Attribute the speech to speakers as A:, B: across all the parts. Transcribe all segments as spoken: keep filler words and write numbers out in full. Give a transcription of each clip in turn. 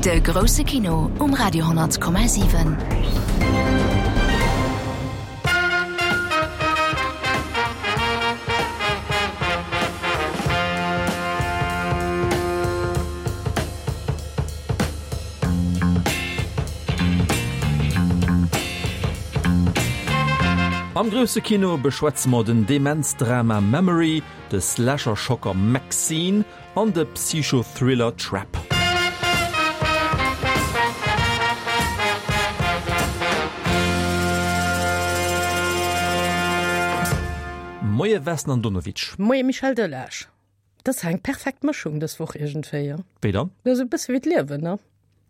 A: De grousse Kino um Radio honnert Komma siwen.
B: Am grousse Kino beschwätze mer den Demenz-Drama Memory, de Slasher-Schocker Maxine an de Psycho-Thriller Trap. Moie Vesna Andonovic.
C: Moie Michel Delage. Dat ass eng perfekt Mëschung dës Woch iergendwéi.
B: Wéi dann?
C: Dat ass e bësse wéi d'Liewen, ne?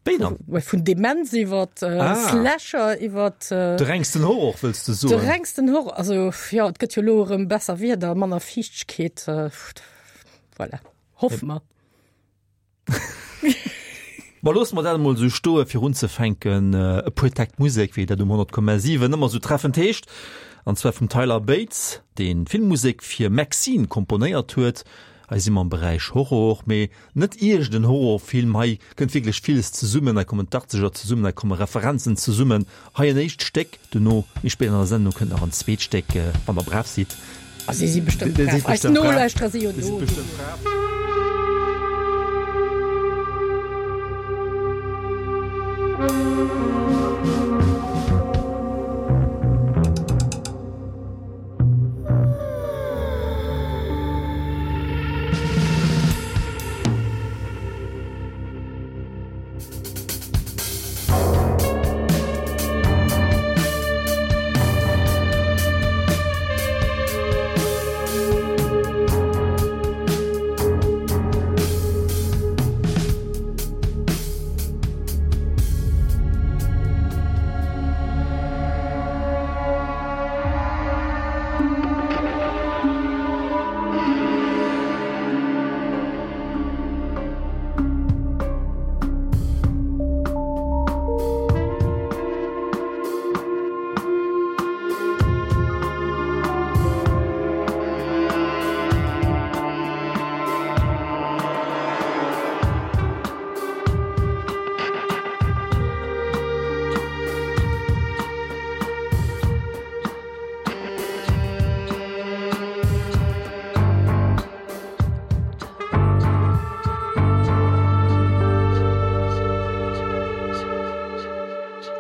B: Wéi dann?
C: Vun Demenz iwwer äh, ah. Slasher iwwer
B: äh, de rengsten Horror wëlls de soen?
C: De rengsten Horror, also jo, et gëtt jo lo erëm besser Wieder, manner Fiichtegkeet, äh, voilà. Hoffe mer.
B: Ma loosse mer dat emol esou stoe fir unzefänken, e puer Täkt Musek, wéi dat um honnert Komma siwen ëmmer esou treffend heescht, an zwar vum Tyler Bates, deen d'Filmmusek fir Maxine komponéiert huet. Hei si mer am Beräich Horror, mee net iergend en Horrorfilm. Hei kënnt wierklech villes zesummen, hei kommen d'Achtzeger zesummen, hei komme Referenzen zesummen. Hei en éischt Stéck, dono, méi spéit an der Sendung, kënnt nach en zweet Stéck, wann der brav sidd.
C: A si si bestëmmt brav. Eis Nolauschterer si jo do.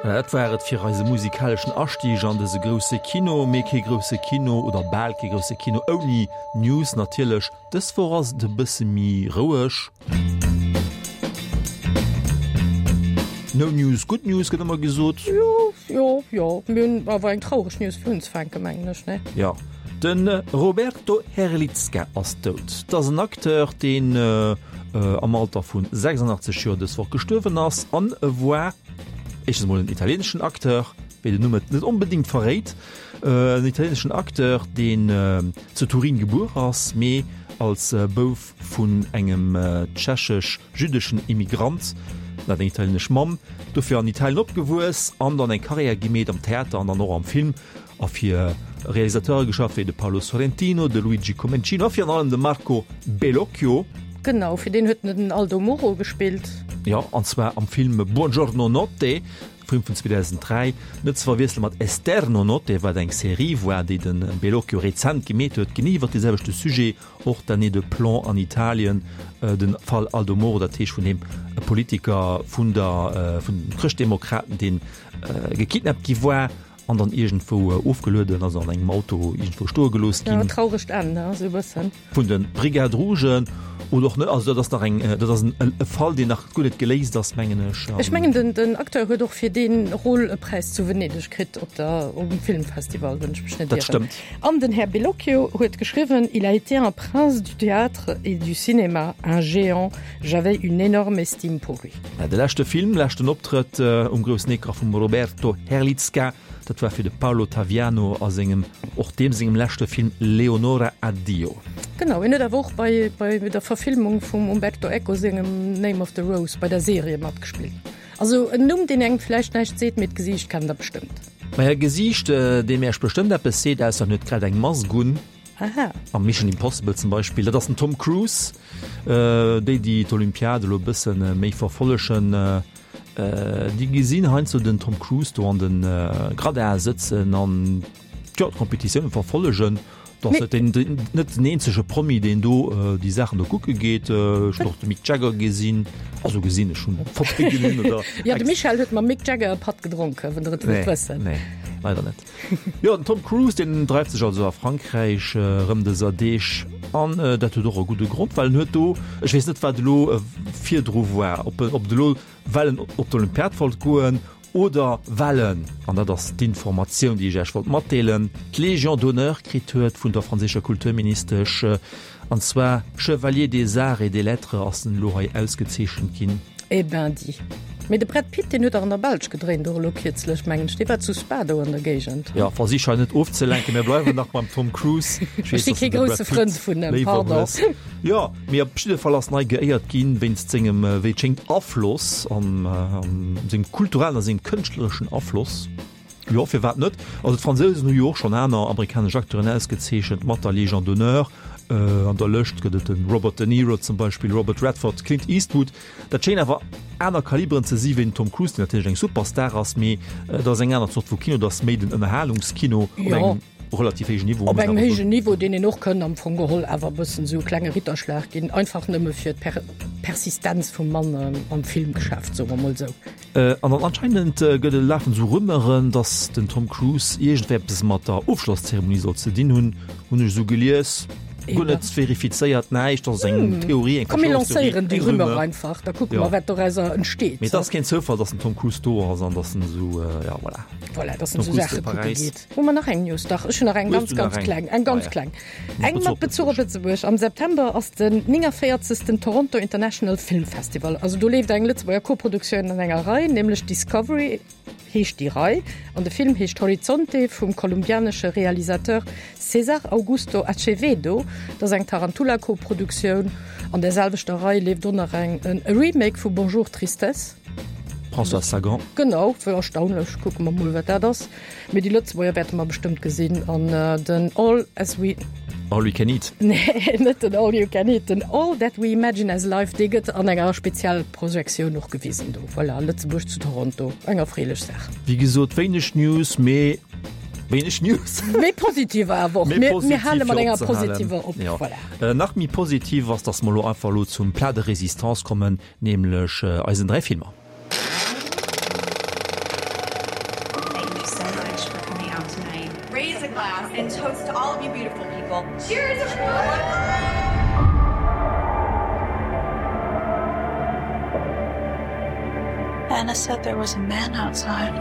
B: Dat war et fir eise musikaleschen Astieg an dëse grousse Kino. Mee kee grousse Kino oder bal kee grousse Kino ouni News natierlech. Dës Woch ass et e bësse méi roueg. No news, good news gëtt ëmmer gesot.
C: Jo, jo, jo. Mir hunn awer eng traureg News fir unzefänken, mengen ech, ne?
B: Jo. De Roberto Herlitzka ass dout. Dat ass en Acteur, deen am Alter vu sechsundachtzeg Joer dës Woch gestuerwen ass an e war éischtens emol en italieeneschen Acteur, wéi den Numm et net onbedéngt verréit, en italieeneschen Acteur, deen zu Turin gebuer ass, mee als Bouf vun engem tschechesch-jüddeschen Immigrant, en hat eng italieenesch Mamm, dofir an Italien opgewuess an dann eng Karriär gemeet am Theater an dann och am Film a fir Realisateure geschafft wéi de Paolo Sorrentino, de Luigi Comencino a virun allem de Marco Bellocchio.
C: Genau, fir deen huet en den Aldo Moro gespillt.
B: Jo, an zwar am Film Buongiorno Notte, Film vun zweedausenddräi, net ze verwiessele mat Esterno Notte, wat eng Serie war, déi de Bellocchio rezent gemeet huet, genee iwwer dee selwechte Sujet, och d'Année de plomb an Italien, de Fall Aldo Moro, dat heescht vun deem Politiker vun der, vun den Chrëschtdemokraten, dee gekidnappt gi war. An dann iergendwou ofgelueden, also an engem Auto iergendwou stoe gelooss ginn.
C: Ja, trauregt Enn, ne, esou e bëssen.
B: Vun de Brigades Rougen oder och net. Also dat ass nach eng, dat ass en e Fall, deen nach guer net geléist ass, mengen ech.
C: Ech mengen, den, den Acteur huet och fir dee Rôle e Präis zu Venedeg kritt op der, um Filmfestival, wann ech mech net
B: Dat
C: ieren.
B: stëmmt.
C: An den Här Bellocchio huet geschriwwen, Il a été un prince du théâtre et du cinéma, un géant, j'avais une énorme estime pour lui.
B: De leschte Film, leschten Optrëtt um groussen Ecran vum Roberto Herlitzka, Dat war fir de Paolo Taviano a sengem, och deem sengem leschte Film Leonora Addio.
C: Genau, hien huet awer och bei bei der Verfilmung vum Umberto Eco sengem Name of the Rose bei der Serie matgespillt. Also en Numm, deen engem vläicht näischt seet, mee d'Gesiicht kennt der bestëmmt.
B: Maja, e Gesiicht, deem Äech bestëmmt eppes seet, ausser en huet grad eng Mask un.
C: Aha.
B: Am Mission Impossible zum Beispill. Dat ass den Tom Cruise. Déi, déi d'Olympiad elo e bësse méi verfollegen, déi gesinn heiansdo den Tom Cruise do an de Gradin sëtzen an, jo, d'Kompetitioune verfollegen. Dat ass net den eenzege Promi, deen do déi Saachen do kucke geet. Ech hunn och de Mick Jagger gesinn, also gesinn, ech hunn Fotoe gesinn
C: oder. Jo, de Michel huet mam Mick Jagger e Patt gedronken, wann Der et wëllt wëssen.
B: Nee, leider net. Jo, den Tom Cruise, deen dreift sech also a Frankräich erëm dëser Deeg an dat huet och e gudde Grond, well en huet do, ech weess net wat elo virdru war, ob en, ob et elo well en op d'Olympiad wollt goen oder well en, an dat ass d'Informatioun, déi ech Iech wollt matdeelen, d'Légion d'honneur kritt huet vun der franséischer Kulturministesch, an zwar Chevalier des Arts et des Lettres ass en elo hei ausgezeechent ginn.
C: Eh ben dis. Mee de Brad Pitt, deen huet dach an der Belsch gedréint och elo kierzlech, mengen ech. Dee war zu Spa do an der Géigend.
B: Jo, versich hei net ofzelenken, mir bleiwen nach beim Tom Cruise.
C: Ech si kee grousse Frënd vun em, pardon.
B: Jo, mee op jidde Fall ass en hei geéiert ginn wéinst sengem, wéi et schéngt, Afloss an sengem kulturellen a sengem kënschtlereschen Afloss. Jo, firwat net? Also d'Fransousen hu jo och schonn aner amerikanesch Acteuren ausgezeechent mat der Légion d'honneur. An der Lëscht gëtt et de Robert De Niro zum Beispill, Robert Redford, Clint Eastwood. Dat schéngen awer aner Kaliberen ze si wéi den Tom Cruise, deen natierlech eng Superstar ass, mee et ass eng aner Zort vu Kino, et ass méi den Ënnerhalungskino op engem relativ héijen Niveau.
C: Op engem héijen Niveau, deen een och kënn am Fong geholl awer e bëssen esou e klenge Ritterschlag ginn, einfach nëmme fir d'Persistenz vum Mann am Filmgeschäft, soe mer mol esou.
B: An dann anscheinend gëtt et, lafen esou Rumeuren, datt den Tom Cruise iergendwéi eppes mat der Ofschlosszeremonie soll ze dinn hunn, hunn ech esou gelies. Guer net verifizéiert, näischt, dat ass eng Theorie, eng
C: Komm mir
B: Verschwörungstheorie,
C: lancéieren déi
B: eng
C: Rumeur
B: Rumeur.
C: einfach, da kucke
B: Jo.
C: mer, wat dorauser entsteet.
B: Mee et ass keen Zoufall, datt den Tom Cruise do ass an datt en esou, ja voilà.
C: Voilà, datt en
B: Tom
C: esou
B: Cruise
C: Saache
B: zu
C: kucke
B: Paräis.
C: geet. Hu mer nach eng News? Dach, ech hunn nach eng
B: Hues
C: ganz,
B: du nach
C: ganz
B: eng?
C: kleng, eng ganz
B: Ah ja.
C: kleng.
B: Mat
C: Eng
B: Bezuch
C: mat
B: op
C: Bezuch op
B: Lëtzebuerg.
C: Lëtzebuerg. Am September ass den nénganvéierzegsten Toronto International Film Festival. Also do leeft eng Lëtzebuerger Koproduktioun an enger Rei, nämlech Discovery heescht déi Rei an de Film heescht Horizonte vum kolumbianesche Realisateur César Augusto Acevedo. Dat ass eng Tarantula-Koproduktioun. An där selwechter Rei leeft och nach eng e Remake vu Bonjour Tristesse.
B: Françoise Sagan.
C: Genau, wéi erstaunlech. Kucke mer mol, wat dat ass. Mee déi Lëtzebuerger wäerte mer bestëmmt gesinn. An den All as we.
B: All we can eat.
C: Nee, net den All you can eat, den All that we imagine as life, dee gëtt an enger Spezialprojektioun och gewisen do. Voilà, Lëtzebuerg zu Toronto, eng erfreelech Saach.
B: Wéi gesot, wéineg News, mee wéineg News.
C: Mee positiv awer och.
B: Mee
C: Mir, mir
B: positiv
C: hale mat
B: fir
C: enger
B: opzehalen.
C: positiver op.
B: Jo.
C: Voilà.
B: Nach méi positiv ass, dass mer elo einfach elo zum Plat de résistance kommen, nämlech eisen dräi Filmer.
D: Thank you so much for coming out tonight. Raise a glass and toast to all of you beautiful people. Cheers everyone!
E: Anna said there was a man outside.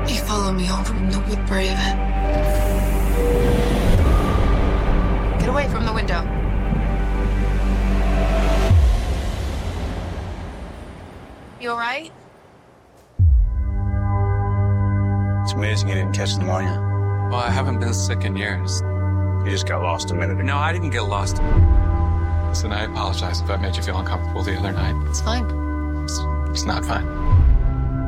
E: He followed me home from the Woodbury event.
D: Get away from the window.
E: You all right?
F: It's amazing you didn't catch pneumonia.
G: Well, I haven't been sick in years.
F: You just got lost a minute ago.
G: No, I didn't get lost. Listen, I apologize if I made you feel uncomfortable the other night.
E: It's fine.
G: It's, it's not fine.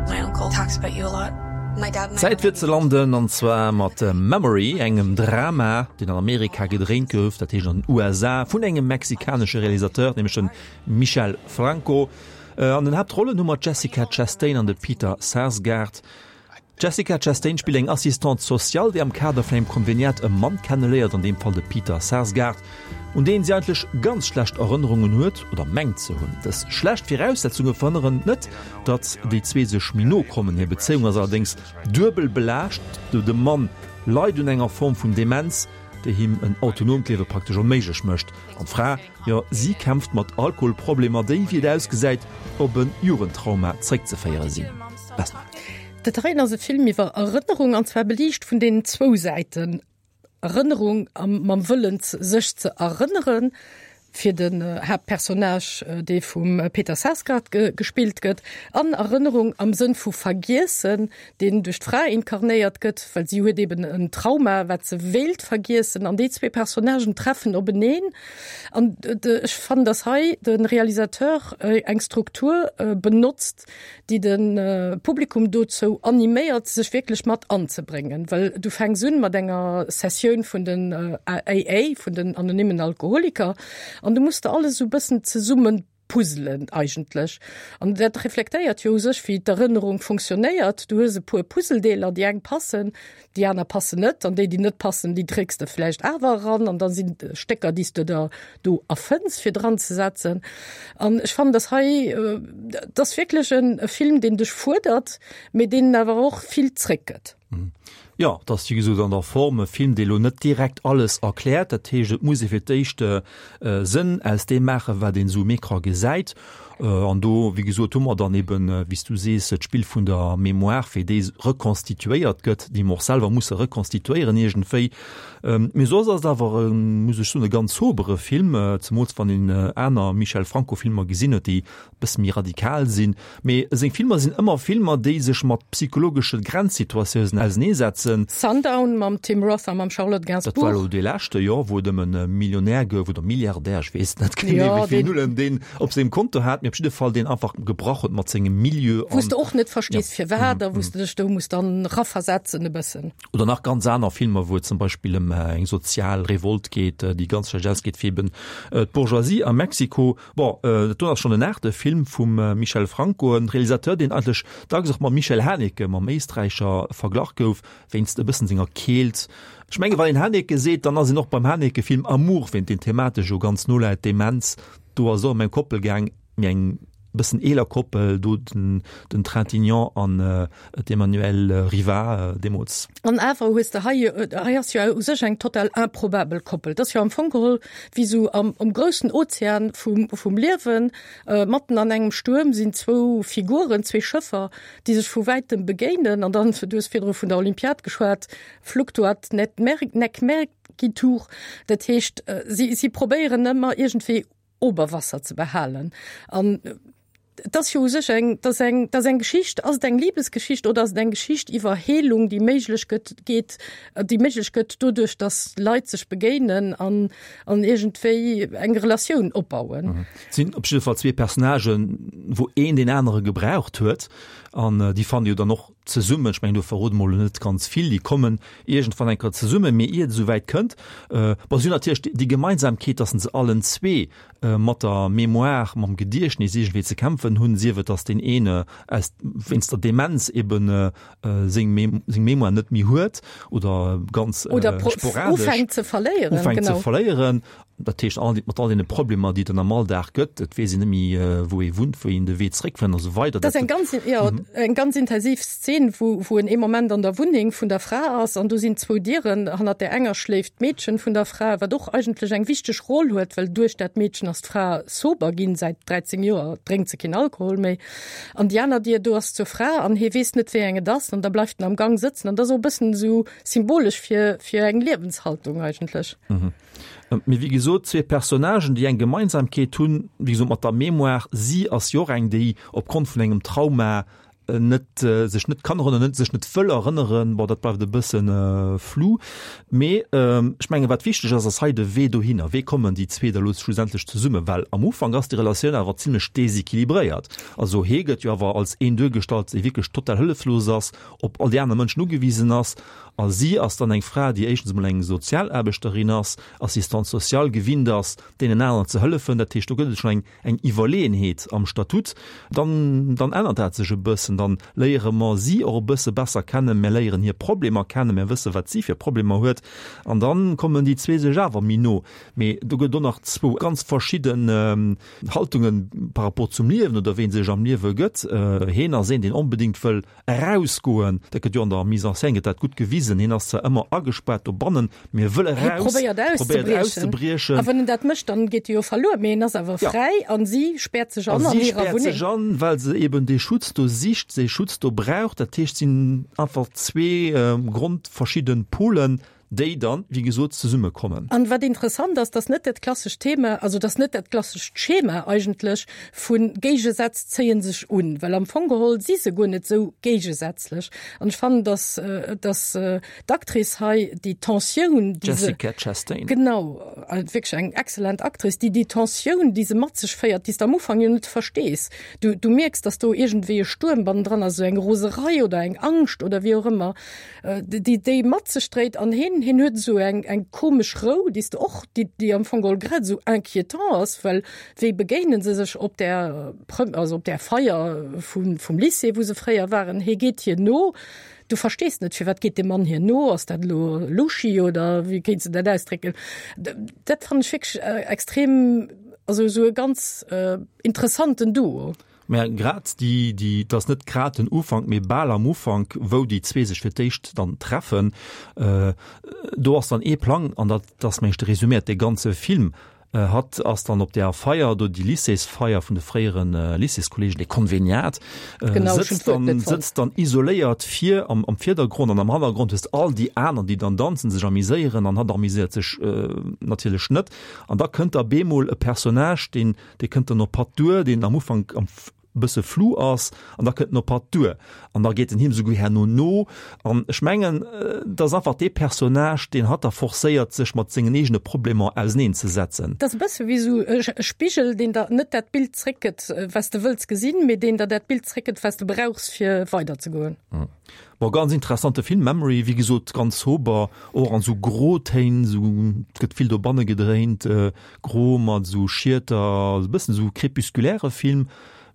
E: My uncle talks about you a lot. My dad and I
B: Zäit fir ze landen, an zwar mat Memory, engem Drama, deen an Amerika gedréint gouf, dat heescht an den U S A, vun engem mexikanesche Realisateur, nämlech dem Michel Franco. An den Haaptrollen hu mer d'Jessica Chastain an de Peter Sarsgaard. D'Jessica Chastain spillt eng Assistante sociale, déi am Kader vun engem Konveniat e Mann kenneléiert, an deem Fall de Peter Sarsgaard, un deen si eigentlech ganz schlecht Erënnerungen huet oder mengt ze hunn. Dës schlecht Viraussetzunge verhënneren net, datt déi zwee sech méi no kommen. Hir Bezéiung ass allerdéngs duebel belaascht, De Mann leit un enger Form vun Demenz, déi him en autonoomt Liewe praktesch onméiglech mécht, an d'Fra, jo, si kämpft mat Alkoholproblemer, déi, wéi et ausgesäit, op e Jugendtrauma zeréckzeféiere sinn. Vesna.
C: Dat heien ass e Film iwwer Erënnerung, an zwar beliicht vun deenen zwou Säiten. Erënnerung mam Wëllen, sech ze erënneren, fir den Haaptpersonnage, dee vum Peter Sarsgaard gespillt gëtt, an Erënnerung am Sënn vu vergiessen, deen duerch d'Fra inkarnéiert gëtt, well si huet eben en Trauma, wat se wéilt vergiessen, an déi zwee Personnagen treffen openeen. An ech fannen, dass hei de Realisateur eng Struktur benotzt, déi de Publikum dozou animéiert, sech wierklech mat anzebréngen, well du fänks un mat enger Sessioun vun den A A, vun den anonymen Alkoholiker, an du muss der alles esou bëssen zesumme puzzelen eigentlech. An dat reflektéiert jo u sech, wéi d'Erënnerung funktionéiert, du hues e puer Puzzledeeler, déi eng passen, déi aner passen net, an déi, déi net passen, déi drécks de vläicht awer eran, an da sinn Stécker, déi s de der do erfënns fir dran ze setzen. An ech fannen, dass hei, dat ass wierklech e Film, deen dech fuerdert, mee deen awer och vill zréckgëtt.
B: Jo, et ass wéi gesot an der Form e Film, dee lo net direkt alles erkläert. Dat heescht, et muss ee fir d'éischt Sënn aus deem maachen, wat een esou um Ecran gesäit. An do, wéi gesot, hu mer dann eben, wéi s du sees, d'Spill vun der Mémoire, wéi déi rekonstituéiert gëtt, déi mer och selwer musse rekonstituéieren iergendwéi. Mee soss ass et awer, muss ech soen, e ganz sobere Film, zemools wann een aner Michel Franco-Filmer gesinn huet, déi bësse méi radikal sinn. Mee seng Filmer sinn ëmmer Filmer, déi sech mat psychologesche Grenzsituatiounen auseneesetzen.
C: Sundown mam Tim Roth a mam Charlotte
B: Dat war
C: Gainsbourg.
B: elo dee leschte, jo, wou et ëm e Millionär gouf oder Milliardär, ech weess net genee,
C: Jo,
B: wéi vill
C: deen.
B: Nullen deen op sengem Konto hat, mee op jidde Fall deen einfach gebrach huet mat sengem Milieu
C: Wou s
B: an
C: de och net
B: ja.
C: verstees, firwat, a wou s de dech do muss dann raversetzen e bëssen.
B: Oder nach ganz aner Filmer, wou et zum Beispill ëm eng sozial Revolt geet, déi ganz schlecht ausgeet fir eben d'Bourgeoisie a Mexiko. Bon, dat do ass schonn den aachte Film vum Michel Franco, en Realisateur, deen eigentlech dacks och mam Michael Haneke, mam Éisträicher, verglach gouf, wéinst e bëssen senger Keelt. Ech menge wann een Haneke seet, dann ass een och beim Haneke-Film Amour, wéint deen thematesch jo ganz no läit, Demenz, do ass et och ëm eng Koppel gaang, mee eng bëssen eeler Koppel, do den den Trintignant an d'Emmanuelle Riva deemools.
C: An awer hues de hei, hei ass jo u sech eng total improbabel Koppel. Dat ass jo am Fong geholl wéi sou am am groussen Ozean vum vum Liewen, matten an engem Stuerm sinn zwou Figuren, zwee Schëffer, déi sech vu wäitem begéinen an dann, du hues virdru vun der Olympiad geschwat, fluctuat nec nec mergitur, dat heescht si si probéieren ëmmer iergendwéi Oberwasser ze behalen. An et ass jo u sech eng, dat ass eng, dat ass eng Geschicht, ass et eng Libesgeschicht oder ass et eng Geschicht iwwer Heelung, déi méiglech gëtt, geet, déi méiglech gëtt doduerch, datt Leit sech begéinen an, an iergendwéi eng Relatioun opbauen.
B: Et sinn op jidde Fall zwee Personnagen, wou een deen anere gebraucht huet an déi fannen jo dann och zesummen. Ech mengen, do verrode mer elo net ganz vill, déi kommen iergendwann eng Kéier zesummen, mee ier et esou wäit kënnt, bon, si hunn natierlech déi Gemeinsamkeet, datt se allen zwee mat der Mémoire, mam Gediechtnis iergendwéi ze kämpfen hunn, sief et, datt deen een aus, wéinst der Demenz eben seng seng Mémoire net méi huet oder ganz
C: Oder
B: sporadesch
C: ufänkt ze verléieren,
B: ufänkt ze
C: genau.
B: verléieren. Dat heescht, all, mat all deene Problemer, déi et dann am Alldag gëtt, et weess een net méi, wou ee wunnt, wéi een de Wee zréckfënnt a sou weider.
C: Dat ass eng ganz, jo, eng ganz intensiv Szen, wou, wou en ee Moment an der Wunneng vun der Fra ass an do sinn zwou Dieren, hannert där enger schléift d'Meedchen vun der Fra, wat och eigentlech eng wichteg Roll huet, well duerch dat Meedchen ass d'Fra sober ginn, säit dräizéng Joer drénkt se keen Alkohol méi. An déi aner Dier, do ass zur Fra an hie weess net, wéi eng et ass an da bleift en am Gang sëtzen an dat ass och e bëssen esou symbolesch fir, fir eng Liewenshaltung eigentlech.
B: Mee wéi gesot, zwee Personnagen, déi eng Gemeinsamkeet hunn, wéi gesot, mat der Mémoire. Si ass jo och eng, déi opgrond vun engem Trauma net, sech net kann erënneren, net, sech net wëll erënneren. Bon, dat bleift e bësse flou. Mee ech mengen, wat wichteg ass, ass hei de Wee dohinner. Wéi kommen déi zwee da lo schlussendlech zesummen? Well am Ufank ass déi Relatioun awer zimlech desequilibréiert. Also hee gëtt jo awer als een duergestallt, dee wierklech total hëlleflos ass, op all déi aner Mënschen ugewisen ass. A si ass dann eng Fra, déi éischtens emol eng Sozialaarbechterin ass, Assistante sociale, gewinnt ass, deenen aneren ze hëllefen. Dat heescht, do gëtt et schonn eng, eng Iwwerleeënheet am Statut. Dann, dann ännert dat sech e bëssen. Dann léiere mer si och e bësse besser kennen, mir léieren hir Problemer kennen, mir wësse wat si fir Problemer huet. An dann kommen déi zwee sech awer méi no. Mee do gëtt och nach zwou ganz verschidden Haltungen par rapport zum Liewen oder wéi ee sech am Liewe gëtt. Heen ass een, deen onbedéngt wëll erausgoen, dat gëtt jo an der Mise en scène gëtt dat gutt gewisen, hien ass zwar ëmmer agespaart dobannen, mee e wëll
C: Hie
B: eraus,
C: probéiert
B: probéiert
C: auszebriechen.
B: auszebriechen.
C: A wann en dat mécht, dann geet e jo verluer, mee en ass awer
B: Ja.
C: fräi an si späert sech
B: A
C: an an
B: si
C: hirer
B: späert
C: Wunneng.
B: sech an, well se eben dee Schutz do sicht, dee Schutz do brauch. Dat heescht, et sinn einfach zwee grondverschidden Polen, déi dann, wéi gesot, zesummekommen.
C: An wat interessant ass, dass net dat klassescht Thema, also dass net dat klassescht Schema eigentlech vu Géigesätz zéien sech un, well am Fong geholl si se guer net sou géigesätzlech. An ech fannen, dass, dass d'Actrice hei déi Tensioun,
B: déi se, Jessica Chastain.
C: Genau, wierklech eng excellent Actrice, déi déi Tensioun, déi se mat sech féiert, déi s de am Ufank jo net verstees, du, du mierks, dass do iergendwéi e Stuerm bannendran ass, esou eng Roserei oder eng Angscht oder wéi och ëmmer, déi déi mat sech dréit an hien, hien huet esou eng, eng komesch Rou, déi s de och, déi, déi am Fong geholl grad esou inquiétant ass, well wéi begéine se sech op där, also op där Feier vum, vum Lycée, wou se fréier waren, hie geet hir no, du verstees net, firwat geet dee Mann hir no, ass dat elo luschi oder wéi kéints de dat ausdrécken? Dat fannen ech wierklech extrem, also esou e ganz interessanten Duo.
B: Mä grad déi, déi, et ass net grad den Ufank, mee bal am Ufank, wou déi zwee sech fir d'éischt dann treffen, do ass dann ee Plang, an dat ass, meng ech, de Resumé, dee ganze Film. Hatt ass dann op där Feier do, déi Lycéesfeier vun de fréiere Lycéeskolleegen, dee Konveniat, sëtzt dann, sëtzt dann isoléiert vir am, am Virdergrond an am Hannergrond hues de all déi aner, déi dann danzen, sech amiséieren an hatt amiséiert sech natierlech net. An da kënnt da bemol e Personnage, deen, dee kënnt dann op hatt duer, deen am Ufank am bësse flou ass an da kënnt en op hatt duer an da geet en him souguer herno no an ech mengen, et ass einfach dee Personnage, deen hatt da forcéiert, sech mat sengen eegene Problemer auseneen ze setzen.
C: Et ass e bësse wéi esou e Spigel, deen der net dat Bild zréckgëtt, wat s de wëlls gesinn, mee deen der dat Bild zréckgëtt, wat s de brauchs, fir weiderzegoen.
B: Bon, ganz interessante Film, Memory, wéi gesot, ganz sober, och an esou Grotéin, esou, et gëtt vill dobanne gedréint, gro mat esou Schieter, e bëssen esou crépusculaire Film,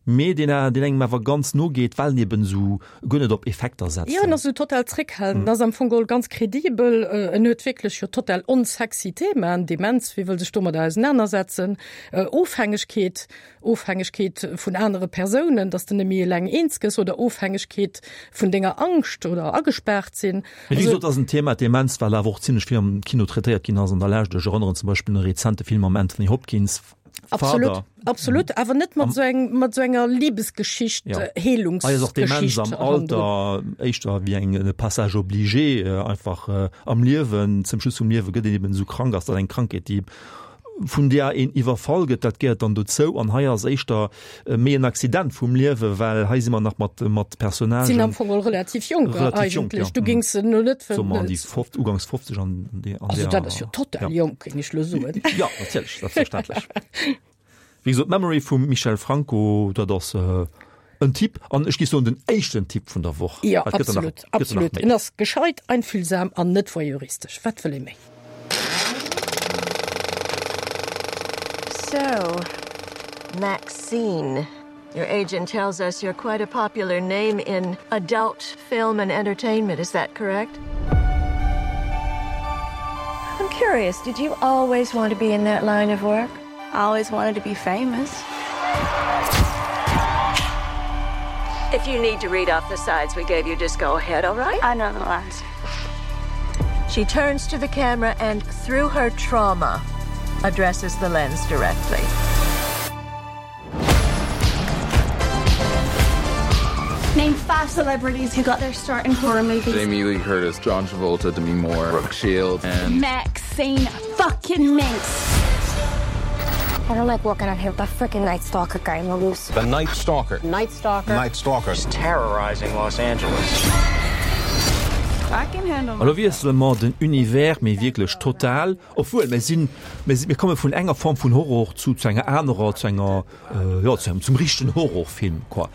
B: mee deen deen engem awer ganz no geet, well en eben esou guer net op Effekter setzt.
C: Jo, en ass esou total zréckhalend, en ass am Fong geholl ganz credibel, en huet wierklech jo total onsexy Themaen, Demenz, wie wëll sech domadder ausenanersetzen, Ofhängegkeet, Ofhängegkeet vun anere Persounen, dass de net méi eleng eens gëss, oder Ofhängegkeet vun denger Angscht oder agespaart sinn.
B: Mee wéi gesot, ass en Thema, d'Demenz, well awer och zimlech vill am Kino traitéiert ginn ass an der Lescht. Ech erënneren zum Beispill un e rezente Film mam Anthony Hopkins,
C: Absolut,
B: Father.
C: absolut, awer net mat esou eng, mat esou enger Libesgeschicht,
B: Ja.
C: Heelungsgeschicht.
B: Hei ass och Demenz am
C: hannendrun.
B: Alter éischter wéi eng e Passage obligé einfach am Liewen. Zum Schluss vum Liewe gëtt een eben esou krank, ass dat eng Krankheet, déi vun där een iwwerfall gëtt, dat gehéiert dann dozou. An hei ass éischter méi en Accident vum Liewen, well hei si mer nach mat, mat Personnagen.
C: Sinn am Fong och relativ jonk
B: Relativ jonk,
C: eigentlech.
B: ja.
C: Du géings se no net
B: Soe mer an déi fofz-, ugangs fofzeg an déi, an
C: Also
B: där,
C: dat ass jo total
B: ja.
C: jonk, géing ech lo soen.
B: Ja, natierlech, selbstverständlech. Wéi gesot, Memory vum Michel Franco, dat ass en Tipp, an ech géif soen den éischten Tipp vun der Woch.
C: Jo,
B: Well et gëtt der nach,
C: absolut,
B: gëtt der nach
C: absolut.
B: méi.
C: En ass gescheit, einfühlsam an net voyeuristesch. Wat wëll ee méi?
H: So, Maxine, your agent tells us you're quite a popular name in adult film and entertainment. Is that correct? I'm curious, did you always want to be in that line of work?
E: I always wanted to be famous.
H: If you need to read off the sides we gave you, just go ahead, all right?
E: I know the lines.
H: She turns to the camera and through her trauma addresses the lens directly.
E: Name five celebrities who got their start in horror movies.
G: Jamie Lee Curtis, John Travolta, Demi Moore, Brooke Shields and
E: Maxine fucking Minx.
I: I don't like walking out here with that freaking Night Stalker guy on the loose.
F: The Night Stalker.
I: Night Stalker.
F: Night Stalker. Is terrorizing Los Angeles.
B: Elo wiessele mer den Univers, mee wierklech total, obwuel mir sinn, mir sinn, mir komme vun enger Form vun Horror zu zu enger anerer, zu enger, jo, zu engem, zum richtegen Horrorfilm, quoi.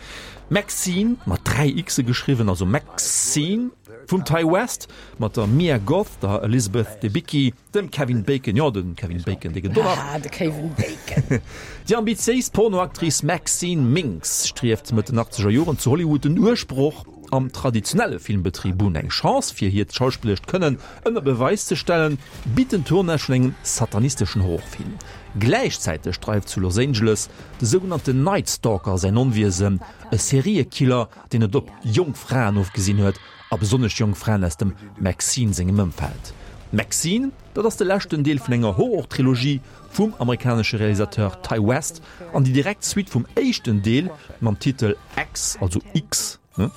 B: Maxine, mat dräi Xe geschriwwen, also Maxine, vum Ti West, mat der Mia Goth, der Elizabeth Debicki, dem Kevin Bacon, jo, de Kevin Bacon, dee gëtt och nach.
C: Ah, de Kevin Bacon.
B: Déi ambitiéis Pornoactrice Maxine Minx strieft Mëtt den achtzeger Joren zu Hollywood den Duerchbroch am traditionelle Filmbetrib un. Eng Chance fir hiert schauspillerescht Kënnen ënner Beweis ze stellen, bitt den Tournage vun engem satanisteschen Horrorfilm. Gläichzäiteg dreift zu Los Angeles de sougenannten Night Stalker säin Onwiesen, e Seriekiller, deen et op jonk Fraen ofgesinn huet, a besonnesch jonk Fraen aus dem Maxine sengem Ëmfeld. Maxine, dat ass de leschten Deel vun enger Horror-Trilogie vum amerikanesche Realisateur Ti West an déi direkt Suite vum éischten Deel mam Titel X, also X, ne?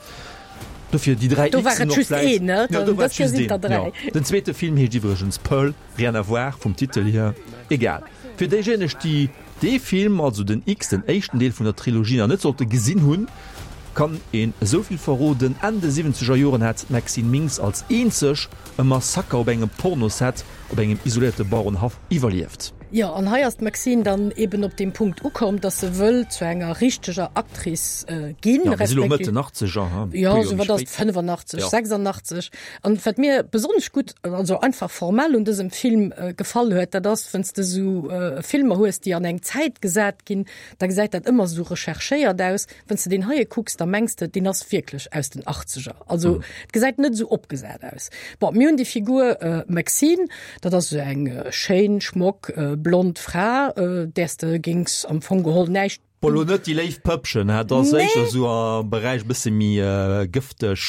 B: Dofir déi dräi
C: Do war
B: Xen
C: et
B: och
C: just
B: vläicht.
C: een, ne?
B: Jo, do war
C: Dës
B: et
C: Kéier
B: just
C: sinn
B: een,
C: der dräi.
B: jo. Den zweete Film heescht iwwregens Pearl, rien à voir vum Titel hier. Egal. Fir déijéineg, déi dee Film, also den X, den éischten Deel vun der Trilogie, nach net sollte gesinn hunn, kann een esou vill verroden, Enn de siwwenzeger Joren hat d'Maxine Minx als eenzeg e Massaker op engem Pornoset op engem isoléierte Bauerenhaff iwwerlieft.
C: Jo, an hei ass d'Maxine dann eben op deem Punkt ukomm, dass se wëll zu enger richteger Actrice ginn,
B: Jo, mir si lo Mëtt
C: respektiv.
B: den Achtzeger, ha, e
C: Jo,
B: puer Joer
C: esou
B: méi
C: wat ass
B: spéit.
C: et, fënnefenachtzeg,
B: Jo.
C: sechsandachtzeg. An wat mir besonnesch gutt, also einfach formell un dësem Film gefall huet, dat ass, wann s de esou Filmer hues, déi an eng Zäit gesat ginn, da gesäit dat ëmmer esou recherchéiert aus. Wann s de deen heie kucks, da mengs de, deen ass wierklech aus den Achtzeger. Also et gesäit net esou opgesat aus. Bon, mir hunn déi Figur Maxine, dat ass esou eng schéin, schmock, blond Fra, där s de géings am Fong geholl näischt.
B: Bon, lo net déi léif Pëppchen, hè, dat ass
C: Nee.
B: éischter esou am Beräich bësse méi gëfteg.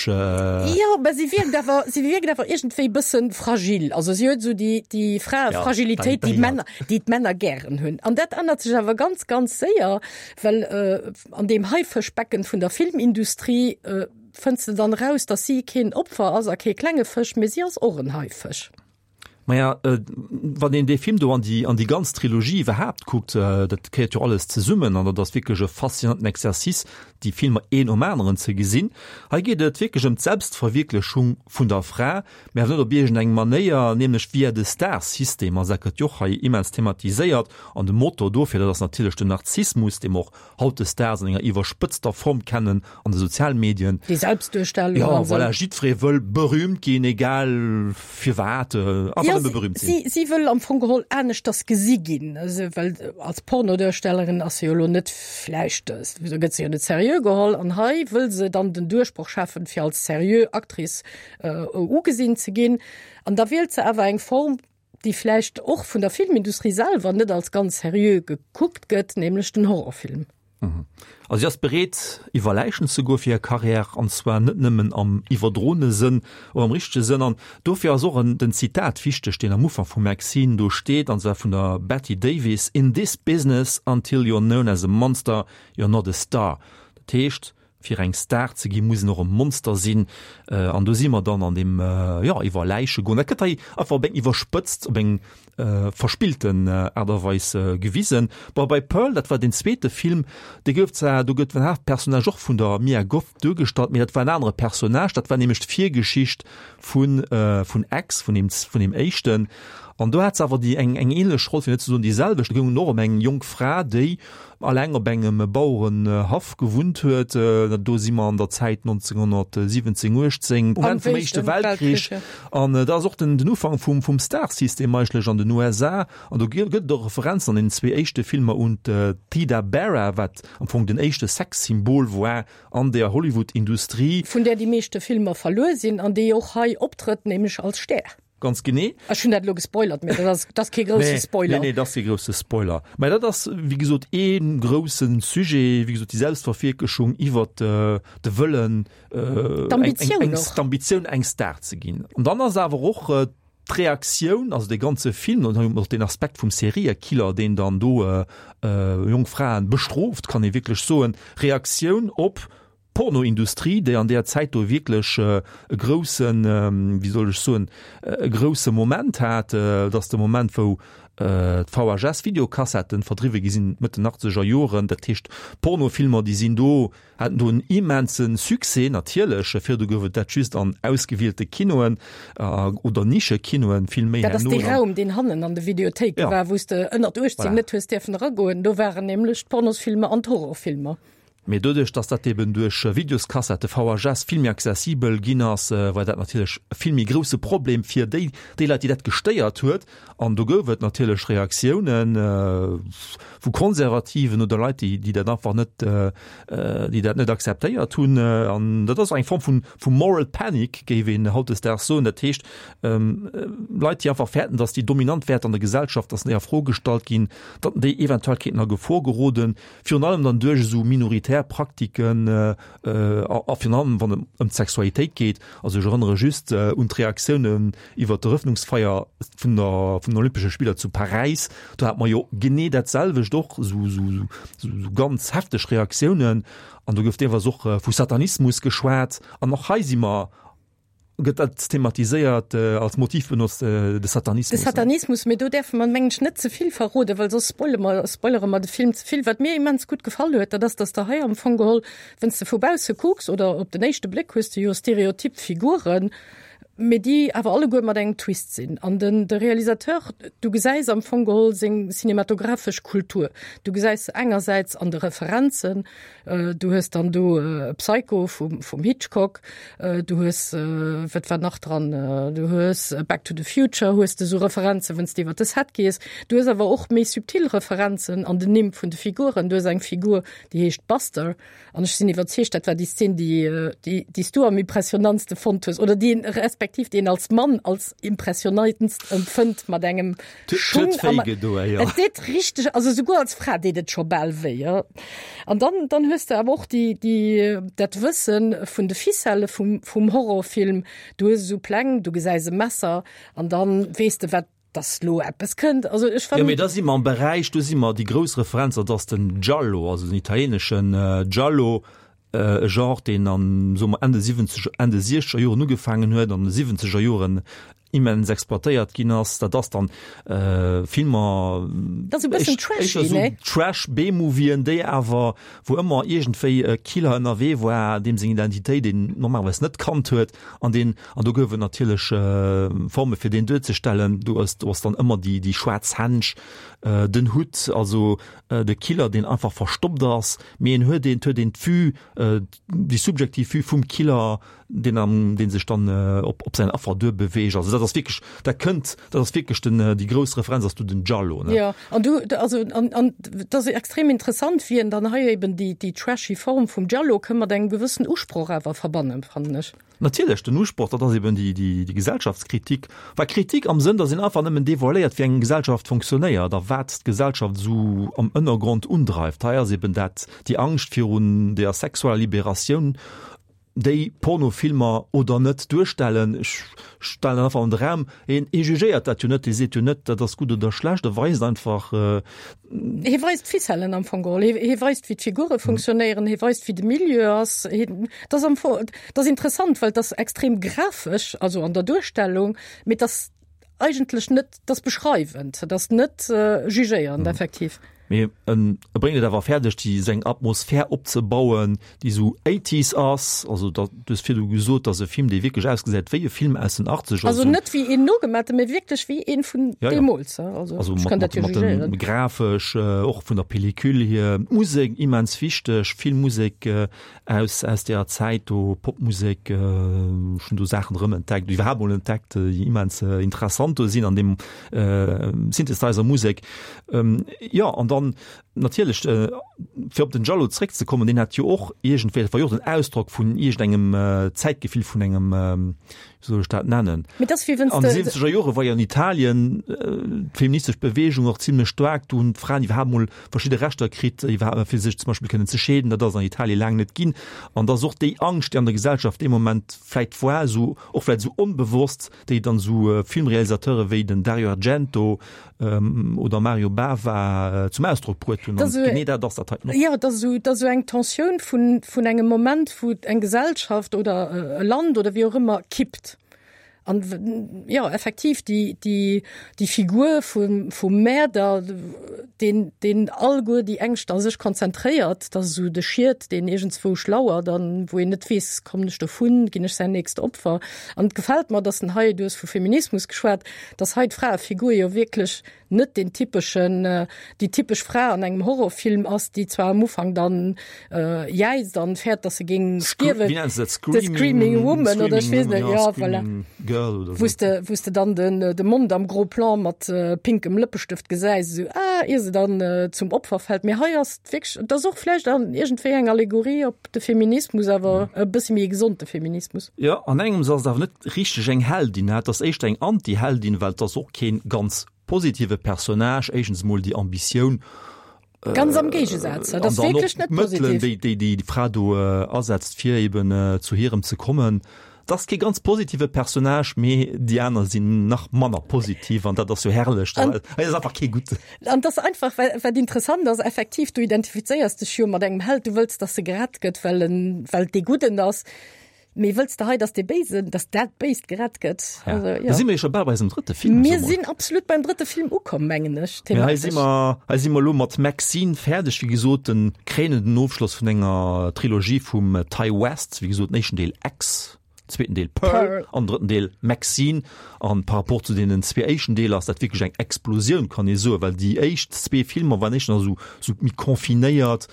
C: Jo, mä si wierkt awer, si wierkt awer iergendwéi bësse fragil. Also si huet esou déi, déi Fra,
B: Ja,
C: Fragilitéit, déi
B: déi
C: d'Männer, déi d'Männer gären hunn. An dat ännert sech awer ganz, ganz séier, well an deem Haifëschbecken vun der Filmindustrie fënns de dann eraus, dass si keen Opfer ass a kee klenge Fësch, mä si ass och en Haifësch.
B: Maja, wann een dee Film do an déi, an déi ganz Trilogie iwwerhaapt kuckt, dat gehéiert jo alles zesummen an dat ass wierklech e faszinanten Exercice, déi Filmer een nom aneren ze gesinn. Hei geet et wierklech ëm d'Selbstverwierklechung vun der Fra, mä awer net op iergendeng Manéier, nämlech via de Star-System. Also dat gëtt jo och hei immens thematiséiert an de Motor dofir, dat ass natierlech den Narzissmus, dee mer och hautdesdaags an enger iwwerspëtzter Form kennen an de Sozialmedien.
C: Déi Selbstduerstellung
B: Jo,
C: an esou.
B: voilà, jiddweree wëll berühmt ginn, egal firwat, einfach
C: Ja,
B: nëmme berühmt
C: si,
B: sinn.
C: si wëll am Fong geholl aneschters gesi ginn, also well als Pornoduerstellerin ass se jo elo net vläicht, do gëtt se jo net seriö geholl an hei wëll se dann den Duerchbroch schaffen, fir als seriö Actrice ugesinn ze ginn an da wielt se awer eng Form, déi vläicht och vun der Filmindustrie selwer net als ganz seriö gekuckt gëtt, nämlech den Horrorfilm.
B: Also si ass bereet, iwwer Läichen ze goe fir hir Karriär, an zwar net nëmmen am iwwerdroene Sënn, och am richtege Sënn. An dofir ass och en den Zitat wichteg, deen am Ufank vum Maxine do steet, an zwar vun der Bette Davis, In this business, until you're known as a monster, you're not a star. Dat heescht, fir eng Star ze ginn, muss een och e Monster sinn. An do si mer dann an deem, jo, iwwer Läiche goen. Dat gëtt hei einfach op eng iwwerspëtzt, op eng verspillten Aart a Weis gewisen. Bon, bei Pearl, dat war deen zweete Film, dee gouf zwar, do gëtt den Haaptpersonnage och vun der Mia Goth duergestallt, mee dat war en anere Personnage, dat war nämlech d'Virgeschicht vun, vun X, vun deem, vun deem éischten. An do hat se awer déi eng, eng ähnlech Roll, fir net ze soen déi selwecht. Do goung et och ëm eng jonk Fra, déi alleng op engem Bauerenhaff gewunnt huet. Do si mer an der Zäit nonzénghonnertsiwwenzéng, uechtzéng, um Enn vum Éischte Weltkrich. An dat ass och den, den Ufank vum, vum Star-System eigentlech an den U S A. An do gëtt et och Referenzen an den zwee éischte Filmer un d'Theda Bara, wat am Fong den éischte Sexsymbol war an der Hollywood-Industrie.
C: Vun där déi meeschte Filmer verluer sinn an déi och hei optrëtt, nämlech als Stär.
B: Ganz genee.
C: Ech hunn dat elo gespoilert, mee dat ass, dat ass kee grousse
B: Nee,
C: Spoiler.
B: nee, nee, dat ass kee grousse Spoiler. Mä dat ass, wéi gesot, ee grousse Sujet, wéi gesot, déi Selbstverwierklechung iwwert de Wëllen, eng,
C: D'Ambitioun
B: eng,
C: och.
B: d'Ambitioun, eng Star ze ginn. An dann ass awer och d'Reaktioun, also dee ganze Film, an och den Aspekt vum Seriekiller, deen dann do jonk Fraen bestrooft, kann ee wierklech soen, Reaktioun op Pornoindustrie, déi an där Zäit do wierklech e groussen, wéi soll ech soen, e grousse Moment hat. Dat ass de Moment, wou d'V H S-Videokassetten verdriwwe gi sinn, Mëtt den achtzeger Joren. Dat heescht, Pornofilmer, déi sinn do, haten do en immense Succès, natierlech. Virdu gouf et dat just an ausgewielte Kinoen oder Nischekinoen, vill méi
C: Dat ass
B: herno
C: dee
B: dann.
C: Raum, deen hannen an de Videothéike
B: Ja.
C: war, wou s de ënnert uechtzéng
B: Voilà.
C: net hues dierfen eragoen. Do waren nämlech d'Pornosfilmer an d'Horrorfilmer.
B: Mee doduerch, dass dat eben duerch Videoskassette, V H S, vill méi accessibel ginn ass, war dat natierlech e vill méi grousse Problem fir déi, déi Leit, déi dat gestéiert huet. An do gouf et natierlech Reaktiounen vu Konservativen oder Leit, déi, déi dat einfach net, déi dat net akzeptéiert hunn. An dat ass eng Form vun, vu Moral Panic, géif een hautdesdaags soen. Dat heescht, Leit, déi einfach fäerten, dass déi dominant Wäerter an der Gesellschaft, dass déi a Fro gestallt ginn, datt déi eventuell kéinten a Gefor geroden, virun allem dann duerch esou minoritär totalitär Praktiken a virun allem wann et ëm d'Sexualitéit geet. Also ech erënnere just un d'Reaktiounen iwwer d'Erëffnungsfeier vun der vun den Olympesche Spiller zu Paräis. Do hat mer jo genee dat selwecht och, esou esou esou ganz hefteg Reaktiounen. An do gouf deelweis och vu Satanismus geschwat. An och hei si mer gëtt dat thematiséiert, als Motiv benotzt, de Satanismus.
C: De Satanismus, mee do däerfe mer, mengen ech, net ze vill verroden, well soss spoile mer, spoilere mer de Film ze vill. Wat mir immens gutt gefall huet, dat ass, dass de hei am Fong geholl, wann s de vu bausse kucks oder op den éischte Bléck hues de jo stereotyp Figuren, mee déi awer alleguer mat engem Twist sinn. An den, de Realisateur, du gesäis am Fong geholl seng cinematographesch Kultur. Du gesäis se engersäits an de Referenzen, du hues dann do Psycho vum, vum Hitchcock, du hues, wat war nach dran, du hues Back to the Future, hues de sou Referenzen, wann s de iwwer de Set gees. Du hues awer och méi subtil Referenzen an den Nimm vun de Figuren. Du hues eng Figur, déi heescht Buster, an ech sinn iwwerzeegt, dat war déi Szen, déi, déi, déi s du am impressionantste fonnt hues, oder déi een, respektiv déi een als Mann als impressionantst empfënnt, mat engem Schung am. Et deet richteg, also souguer als Fra deet et scho bal wéi, jo. An dann, dann hues de awer och déi, déi, dat Wësse vun de Ficellë vum, vum Horrorfilm. Du hues esou Pläng, du gesäis e Messer an dann weess de, wat, dass lo eppes kënnt. Also ech
B: Jo, mee da si mer am Beräich, do si mer déi grouss Referenz, dat ass den Giallo, also den italieeneschen Giallo, e Genre, deen an, soe mer, Enn de siwwenzeger, Enn de siechzeger Joren ugefaangen huet, an de siwwenzeger Joren immens exploitéiert ginn ass. Dat ass dann Filmer,
C: Dat ass e bëssen trashy, ne?
B: Trash B-Movien, déi awer, wou ëmmer iergendwéi e Killer ënnerwee war, deem seng Identitéit een normalerweis net kannt huet, an deen, an do gouf et natierlech Forme fir deen duerzestellen. Do ass, do ass dann ëmmer déi, déi schwaarz Hänsch, den Hutt, also de Killer, deen einfach verstoppt ass, mee en huet een, et huet een d'Vue, déi subjektiv Vue vum Killer, deen am, dee sech dann op, op säin Affer duerbeweegt. Also dat ass wierklech, dat kënnt, dat ass wierklech den, déi grouss Referenz ass do den Giallo, ne?
C: Jo, an du, also an, an dat ass extrem interessant, wéi en dann hei eben déi, déi trashy Form vum Giallo ka mat engem gewëssen Usproch awer verbannen, fannen ech.
B: Natierlech, den Usproch, dat ass eben déi, déi, déi Gesellschaftskritik. Well Kritik am Sënn, datt een einfach nëmmen devoiléiert, wéi eng Gesellschaft fonctionnéiert a wat d'Gesellschaft esou am Ënnergrond undreift. Hei ass eben dat, déi Angscht virun der sexueller Liberatioun, déi Pornofilmer oder net duerstellen. Ech stellen dat einfach an de Raum. Een, ee jugéiert dat jo net, dee seet jo net, dat ass gutt oder schlecht, e weist einfach.
C: Hie weist d'Ficellen am Fong geholl. Hie, hie weist, wéi d'Figure funktionéieren, hie weist, wéi de Milieu ass. Hien, dat ass am Fong, dat ass interessant, well et ass extrem grafesch, also an der Duerstellung, mee et ass eigentlech net, et ass beschreiwend, et ass net jugéierend effektiv.
B: Mee en e bréngt et awer fäerdeg, déi seng Atmosphär opzebauen, déi esou Eighties ass. Also da, du hues virdu gesot, dass e Film, dee wierklech ausgesäit wéi e Film aus den Achtzeger.
C: Also net wéi een nogemaaten, mee wierklech wéi een vun
B: Ja, ja.
C: deemools. Also
B: Also
C: ech
B: mat,
C: kann dat
B: mat,
C: jo
B: mat dem
C: jugéieren.
B: grafesch, och vun der Pellicule hier, d'Musek immens wichteg, vill Musek aus, aus deeër Zäit do, Popmusek, ech hunn do Saachen erëm entdeckt, iwwerhaapt mol entdeckt, déi immens interessant do sinn an deem Synthesizer-Musek. Jo, an dann natierlech, fir op den Giallo zréckzekommen, deen hat jo och iergendwéi, dat war jo och den Ausdrock vun iergendengem Zäitgefill, vun engem, wéi soll ech dat nennen?
C: Mee dat ass wéi wann s
B: An de
C: de.
B: siwwenzeger Jore war jo an Italien d'feministesch Beweegung och zimlech staark. Do hunn d'Fraen iwwerhaapt mol verschidde Rechter kritt, iwwerhaapt fir sech zum Beispill kënnen ze scheeden. Dat ass an Italie laang net ginn. An da ass och déi Angscht, déi an der Gesellschaft dee Moment vläicht war, esou och vläicht esou onbewosst, déi dann esou Filmrealisateure wéi den Dario Argento oder Mario Bava zum Ausdrock bruet hunn. An genee dat ass dat hei och.
C: Jo, et ass esou, et ass esou eng Tensioun vun, vun engem Moment, wou eng Gesellschaft oder e Land oder wéi och ëmmer kippt. An jo, effektiv, déi, déi, déi Figur vum, vum Mäerder, deen, deen alleguer déi Ängscht a sech konzentréiert, dat ass esou de Schiet, deen iergendzwousch lauert an wou een net weess, kommen ech dovun, ginn ech säin nächst Opfer. An et gefält mer, dass en hei, du hues vu Feminismus geschwat, dass hei d'Fraefigur jo wierklech net den typeschen, déi typesch Fra an engem Horrorfilm ass, déi zwar am Ufank dann jäizt an fäert, dass se géing stierwen,
B: Wéi nennen se dat?
C: The Screaming Woman oder ech weess net,
B: jo,
C: jo, voilà.
B: Screaming Girl oder
C: Wou s
B: sou.
C: de, wou s de dann den, de Mond am Gros Plan mat pinkem Lëppestëft gesäis, esou, ah, ier se dann zum Opfer fält. Mee hei ass et wierklech, et ass och vläicht an iergendwéi eng Allegorie op de Feminismus, awer e bësse méi e gesonde Feminismus.
B: Jo, an engems ass et awer net richteg eng Heldin, et ass éischter eng Anti-Heldin, well et ass och kee ganz positive Personnage. Éischtens emol déi Ambitioun,
C: Ganz am Géigesaz, dat ass wierklech net positiv.
B: An dann och d'Mëttelen, déi déi Fra do asetzt, fir eben zu hirem ze kommen. Dat ass kee ganz positive Personnage, mee déi aner sinn nach manner positiv an dat ass jo herrlech. Hei ass einfach kee Gudden.
C: An dat ass einfach, wat interessant ass, effektiv, du identifizéiers dech jo mat engem Held, du wëlls, dass e gerett gëtt, well en, well dee Gudden ass. Mee wëlls de hei, dass dee Béisen, dass dat Béist gerett gëtt?
B: Ja.
C: Also, ja.
B: Da si mir jo scho bal bei eisem drëtte Film.
C: Mir sinn absolut beim drëtte Film ukomm, mengen ech,
B: Mee hei si
C: thematesch.
B: mer, hei si mer elo mat Maxine fäerdeg, wéi gesot, den kréinenden Ofschloss vun enger Trilogie vum Ti West, wéi gesot, den éischten Deel X, zweeten Deel Pearl,
C: Pearl.
B: an drëtten Deel Maxine. An par rapport zu deenen zwee éischten Deeler ass dat wierklech eng Explosioun, kann ee soen, well déi éischt zwee Filmer waren éischter esou, esou méi confinéiert,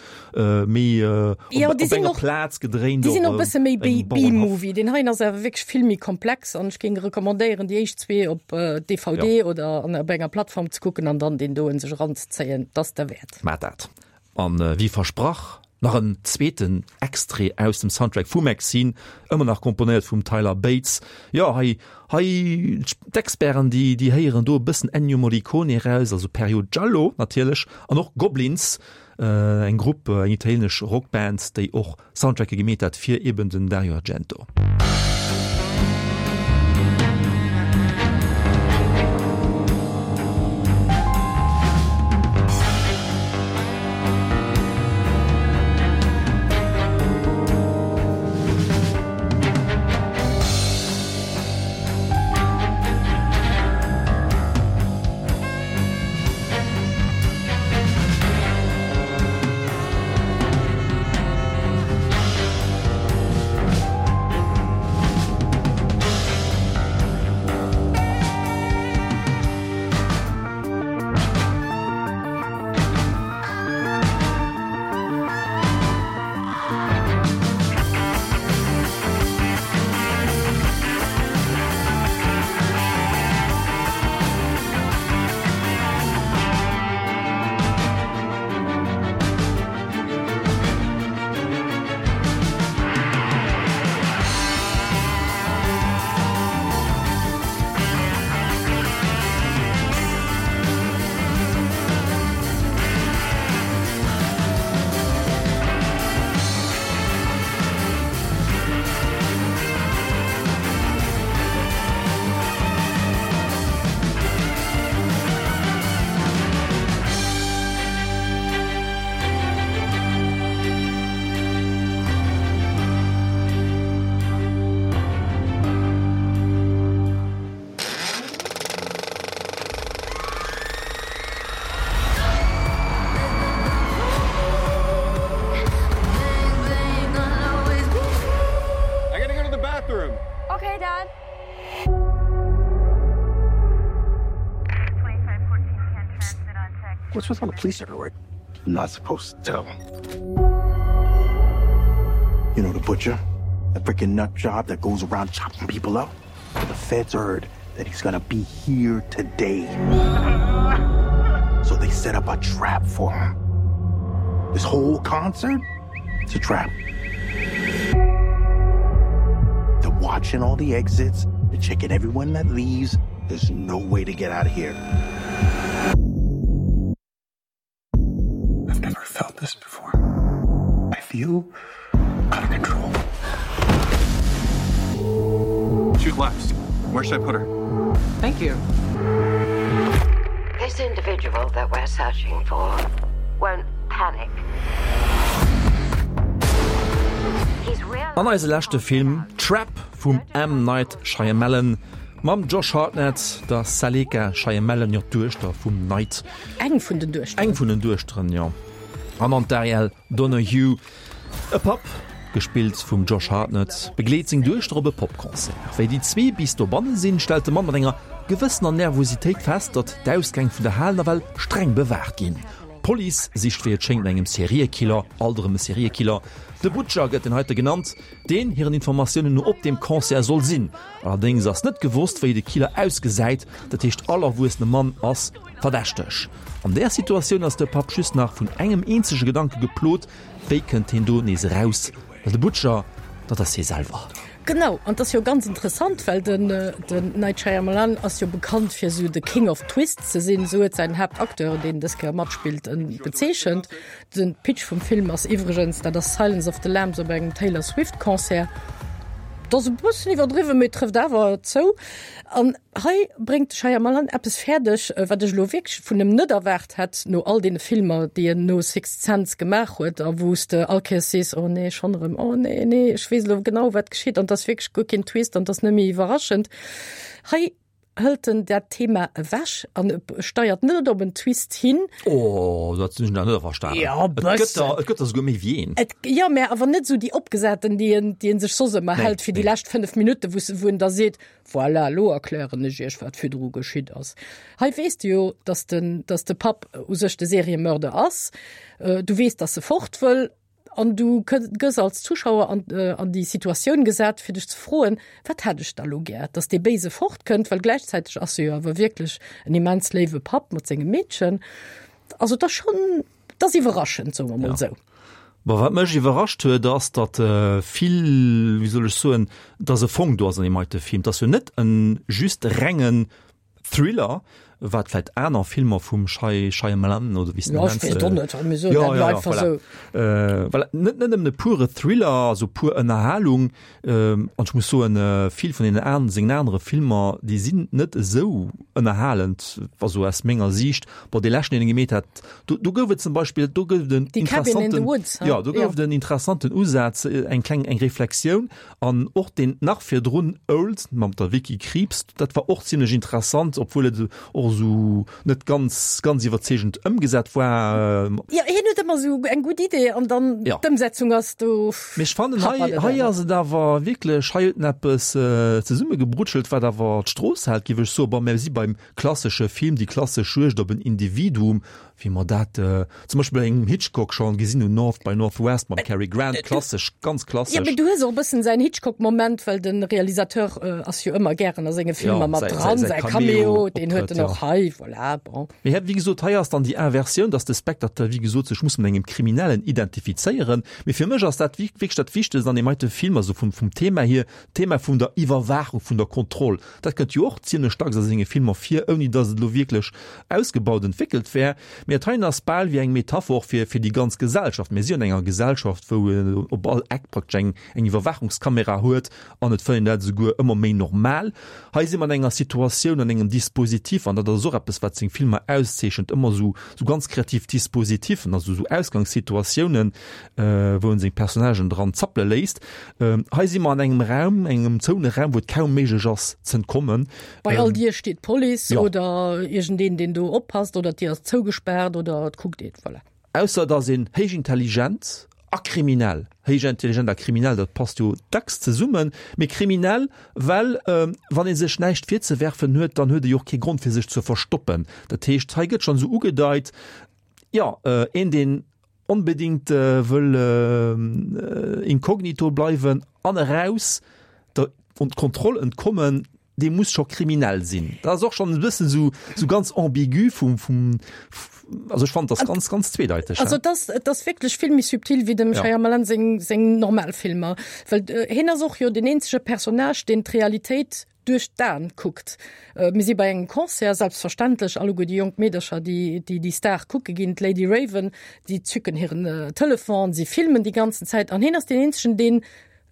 B: méi
C: Jo,
B: op,
C: déi
B: op
C: sinn
B: enger
C: och,
B: Plaz gedréint,
C: déi sinn
B: och
C: och e bësse méi
B: engem Bauernhaff.
C: B-Movie. Deen heien ass awer wierklech vill méi komplex an ech géing recommandéieren, déi éischt zwee op D V D
B: Ja.
C: oder an op enger Plattform ze kucken an dann deen doen sech eranzezéien. Dat ass derwäert.
B: Maat dat. An wéi versprach, nach en zweeten Extrait aus dem Soundtrack vu Maxine, ëmmer nach komponéiert vum Tyler Bates. Jo, hei, hei, d'Experten, déi, déi héieren do e bëssen Ennio Morricone eraus, also Period Giallo natierlech, an och Goblins, eng Grupp, eng italienesch Rockband, déi och Soundtracke gemeet hat fir eben den Dario Argento.
J: What's with all the police everywhere? I'm not supposed to tell. You know the butcher? The freaking nut job that goes around chopping people up? The feds heard that he's gonna be here today. So they set up a trap for him. This whole concert, it's a trap. They're watching all the exits, they're checking everyone that leaves. There's no way to get out of here.
G: I've never felt this before. I feel out of control. Shoot left. Where should I put her?
K: Thank you.
L: This individual that we're searching for won't panic.
B: An eise leschte Film, Trap vum M. Night Shyamalan mam Josh Hartnett, der Saleka Shyamalan, jo d'Duechter vum Night.
C: Eng vun den Duechteren.
B: Eng vun den Duechteren, jo. An an d'Ariel Donoghue. E Papp, gespillt vum Josh Hartnett, begleet seng Duechter op e Popconcert. Wéi déi zwee bis dobanne sinn, stellt de Mann mat enger gewëssener Nervositéit fest, datt d'Ausgäng vun der Hal nawell streng bewaacht ginn. D'Police sicht wéi et schéngt no engem Seriekiller, alt erëm e Seriekiller, de Butcher gëtt en heite genannt, deen hiren Informatiounen no op deem Concert soll sinn. Allerdéngs ass net gewosst, wéi de Killer ausgesäit, dat heescht all erwuessene Mann ass verdächteg. An där Situatioun ass de Papp just nach vun engem eenzege Gedanke geplot, Wéi kënnt hien do nees eraus? Well de Butcher, dat ass hie selwer.
C: Genau, an dat ass jo ganz interessant, well den, den Night Shyamalan ass jo bekannt fir sou de King of Twists ze sinn, sou huet säin Haaptacteur, deen dës Kéier matspillt, en bezeechent. Den Pitch vum Film ass iwwregens, dat ass Silence of the Lambs op engem Taylor Swift Concert. Dat ass e bëssen iwwerdriwwen, mee trëfft awer zou. An hei bréngt de Shyamalan eppes fäerdeg, wat ech elo wierklech vun em net erwaart hätt, no all deene Filmer, déi en no Sixth Sense gemaach huet a wou s de all Kéiers sees, oh nee, schonn erëm, oh nee, nee, ech weess elo genau, wat geschitt an et ass wierklech guer keen Twist an et ass net méi iwwerraschend. Hei hëlt en dat Thema ewech an steiert net op en Twist hin.
B: Oh, dat hunn ech nach net verstanen.
C: Ja,
B: Et gëtt der, et gëtt der souguer méi wéi een.
C: Et, jo, mä awer net esou déi opgesaten, déi en, déi en sech soss ëmmer
B: Nee,
C: hält fir déi
B: nee.
C: lescht fënnef Minutten, wou s, wou en da seet, Voilà, elo erklären ech iech, wat virdru geschitt ass. Hei weess de jo, dass den, dass de Papp u sech de Seriemörder ass. Du weess, dass e fort wëll. An du gëss als Zuschauer an, an déi Situatioun gesat, fir dech ze froen, Wat hätt ech da lo gär? Dass dee Béise fortkënnt, well gläichzäiteg ass e jo awer wierklech en immens léiwe Papp mat sengem Meedchen. Also et ass schonn, et ass iwwerraschend, soe mer mol esou.
B: Bon, wat mech iwwerrascht huet, ass, datt vill, wéi soll ech soen, datt e Fong do ass an deem heite Film. Et ass jo net e just rengen Thriller, wat vläit aner Filmer vum Shy Shyamalan oder wéi s de
C: Ja,
B: en
C: ech
B: nenns,
C: weess et och net, mir soen
B: ja,
C: dat
B: ja,
C: elo
B: ja,
C: einfach
B: voilà.
C: esou.
B: Äh, voilà. Net, net nëmmen e pure Thriller, also pur Ënnerhalung. Ähm, an ech muss soen, äh, vill vun den an, sengen anere Filmer, déi sinn net esou ënnerhalend, also aus menger Siicht. Bon, dee leschten, deen e gemeet hat, do, do gouf et zum Beispill, do gouf et en
C: Die Cabin in the
B: interessanten,
C: Woods, ha?
B: ja, do gouf
C: Ja.
B: et en interessanten Usaz, eng kleng, eng Reflexioun. An och deen nach virdrun Old mam der Vicky Krieps, dat war och zimlech interessant, obwuel et och esou net ganz ganz iwwerzeegend ëmgesat war.
C: Jo, hien huet ëmmer esou eng gutt Idee an dann
B: Ja.
C: d'Ëmsetzung ass do
B: Mee ech fannen hei,
C: happert et
B: hei
C: awer.
B: ass et awer wierklech, hei huet en eppes zesummegebrutschelt, wat awer d'Strooss hält, géif ech soen. Bon, mir si beim klassesche Film, déi klassesch Juegd op en Individuum, wéi mer dat zum Beispill bei engem Hitchcock schonn gesinn hunn, North by Northwest mam Cary Grant, klassesch, ganz klassesch.
C: Jo, mee du hues och e bëssen säin Hitchcock-Moment, well de Realisateur ass jo ëmmer gären a senge Filmer
B: Ja,
C: mat
B: säi,
C: dran,
B: säi, säi
C: säi Cameo, deen huet
B: Cameo-Optrëtt,
C: en och
B: ja.
C: hei, voilà, bon.
B: Mee wéi gesot, hei ass dann déi Inversioun, dass de Spectateur, wéi gesot, sech muss mat engem Kriminellen identifizéieren. Mee fir mech ass dat wierklech dat Wichtegst an deem heite Film, also vum, vum Thema hier, d'Thema vun der Iwwerwaachung, vun der Kontroll. Dat kënnt jo och zimlech dacks a senge Filmer vir, ouni dass et elo wierklech ausgebaut entwéckelt wär. Mee dat heien ass bal wéi eng Metapher fir, fir déi ganz Gesellschaft. Mir si an enger Gesellschaft, wou een op all Eck praktesch eng, eng Iwwerwaachungskamera huet an et fënnt een dat esouguer ëmmer méi normal. Hei si mer an enger Situatioun, an engem Dispositif, an dat ass och eppes, wat seng Filmer auszeechent, ëmmer esou, esou ganz kreativ Dispositifen, also esou Ausgangssituatiounen, wou en seng Personnagen dran zappele léisst. Hei si mer an engem Raum, engem zoune Raum, wou et kaum méiglech ass z'entkommen.
C: Bei all Dier steet d'Police
B: Jo.
C: oder iergendeen, deen do oppasst, oder d'Dier ass zougespaart oder et kuckt een, voilà.
B: Ausser et ass een héich intelligent a kriminell. Héich intelligent a kriminell, dat passt jo dacks zesummen. Mee kriminell, well wann ee sech näischt virzewerfen huet, dann huet e jo och kee Grond fir sech ze verstoppen. Dat heescht, hei gëtt schonn esou ugedeit, jo, een deen onbedéngt wëll inkognito bleiwen an eraus der Kontroll entkommen, dee muss scho kriminell sinn. Dat ass och schonn e bëssen esou, esou ganz ambigu vum, vum, also ech fannen dat ganz, ganz zweedeiteg.
C: Also et ass, et ass wierklech vill méi subtil wéi dem
B: Ja.
C: Shyamalan seng, seng normal Filmer. Well hien ass och jo deen eenzege Personnage, deen d'Realitéit duerch d'Aen kuckt. Mir si bei engem Concert, selbstverständlech, alleguer déi jonk Meedercher, déi déi déi Star kucke ginn, d'Lady Raven, déi zücken hiren Telefon, si filmen déi ganzen Zäit an hien ass deen eenzegen, deen